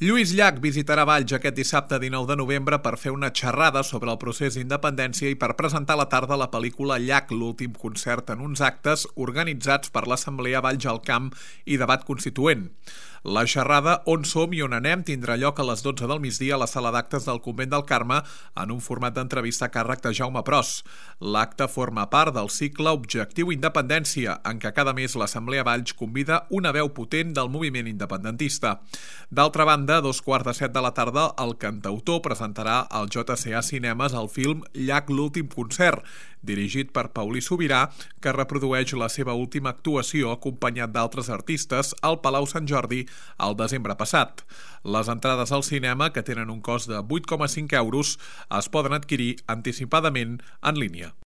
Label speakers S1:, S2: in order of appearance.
S1: Lluís Llach visitarà Valls aquest dissabte 19 de novembre per fer una xerrada sobre el procés d'independència i per presentar a la tarda la pel·lícula Llach, l'últim concert en uns actes organitzats per l'Assemblea Valls al Camp i Debat Constituent. La xerrada On som i on anem tindrà lloc a les 12 del migdia a la sala d'actes del Convent del Carme en un format d'entrevista a càrrec de Jaume Pros. L'acte forma part del cicle Objectiu Independència, en què cada mes l'Assemblea Valls convida una veu potent del moviment independentista. D'altra banda, a 2:15 de la tarda, el cantautor presentarà al JCA Cinemes el film Llach, l'últim concert, dirigit per Paulí Sobirà, que reprodueix la seva última actuació acompanyat d'altres artistes al Palau Sant Jordi al desembre passat. Les entrades al cinema, que tenen un cost de 8,5 euros, es poden adquirir anticipadament en línia.